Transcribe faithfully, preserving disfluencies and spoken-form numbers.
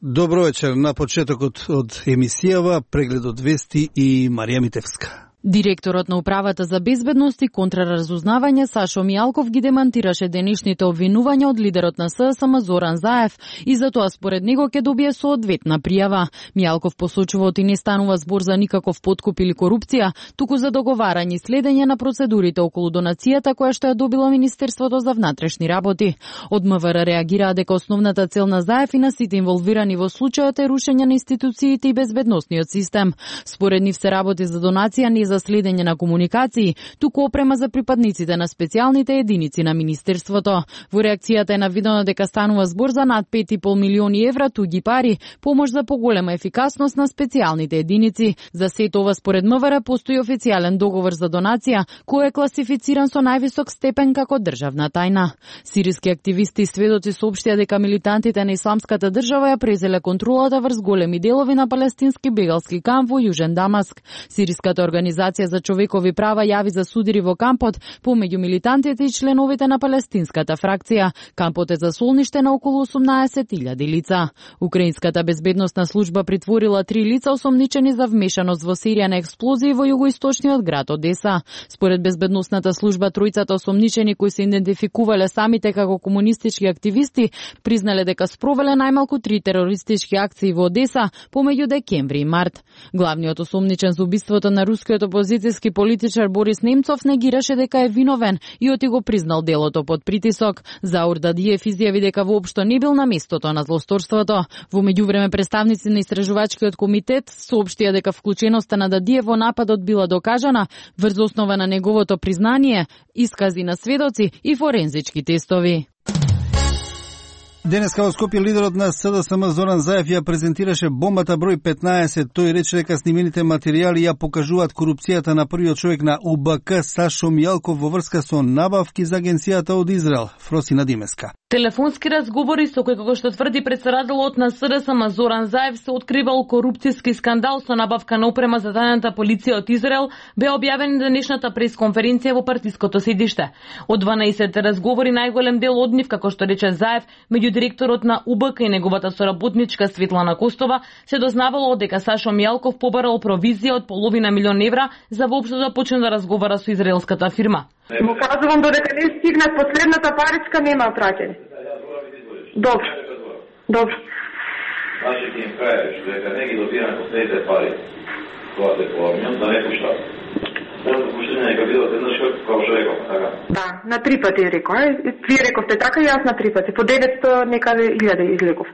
Добро вечер. На почетокот од емисијава прегледот вести и Марија Митевска. Директорот на Управата за безбедност и контраразузнавање Сашо Мијалков ги демантираше денешните обвинувања од лидерот на СДСМ Зоран Заев и затоа според него ќе добие соодветна пријава. Мијалков посочува оти не станува збор за никаков подкуп или корупција, туку за договарање и следење на процедурите околу донацијата која што ја добило Министерството за внатрешни работи. Од МВР реагираа дека основната цел на Заев и на сите инволвирани во случајот е рушење на институциите и безбедносниот систем. Според нив се работи за донација не за следење на комуникации, туку опрема за припадниците на специјалните единици на Министерството. Во реакцијата е навидено дека станува збор за над пет и пол милиони евра туѓи пари, помош за поголема ефикасност на специјалните единици. За сето ова според МВР постои официјален договор за донација, кој е класифициран со највисок степен како државна тајна. Сириски активисти и сведоци соопштија дека милитантите на Исламската држава ја презеле контролата врз големи делови на палестински бегалски камп во Јужен Дамаск. Сириската организација за човекови права јави за судири во кампот помеѓу милитантите и членовите на палестинската фракција. Кампот е за солниште на околу осумнаесет илјади лица. Украинската безбедносна служба притворила три лица осомничени за вмешаност во серија на експлозии во југоисточниот град Одеса. Според безбедносната служба тројцата осомничени кои се идентификувале самите како комунистички активисти признале дека спровеле најмалку три терористички акции во Одеса помеѓу декември и март. Главниот осомничен за убиството на рускиот опозицијски политичар Борис Немцов негираше дека е виновен и оти го признал делото под притисок. Заур Дадиев изјави дека воопшто не бил на местото на злосторството. Во меѓувреме представници на истражувачкиот комитет соопштија дека вклученоста на Дадиев во нападот била докажана врз основа на неговото признание, искази на сведоци и форензички тестови. Денеска во Скопје лидерот на СДСМ Зоран Заев ја презентираше бомбата број петнаесет. Тој рече дека снимените материјали ја покажуваат корупцијата на првиот човек на У Б К Сашо Мијалков во врска со набавки за агенцијата од Израел. Фросина Димеска. Телефонски разговори со кој, како што тврди претседателот на СДСМ Зоран Заев, се откривал корупцијски скандал со набавка на опрема за тајната полиција од Израел, бе објавен денешната пресконференција во партиското седиште. Од дванаесет разговори најголем дел од нив, како што рече Заев, меѓу директорот на У Б К и неговата соработничка Светлана Костова, се дознавало дека Сашо Мијалков побарал провизија од половина милион евра за воопшто да почне да разговара со израелската фирма. Му кажувам додека не стигне последната паричка нема праќање. Добро. Добро. Значи ќе им кажеш дека не ги добирам последните пари. Тоа се помнам, да не пуштам. Моето пуштање нека било еднаш како што реков, така? Да, на три пати реков. Вие рековте така и јас на три пати. По деветстотини некаде илјади излеков.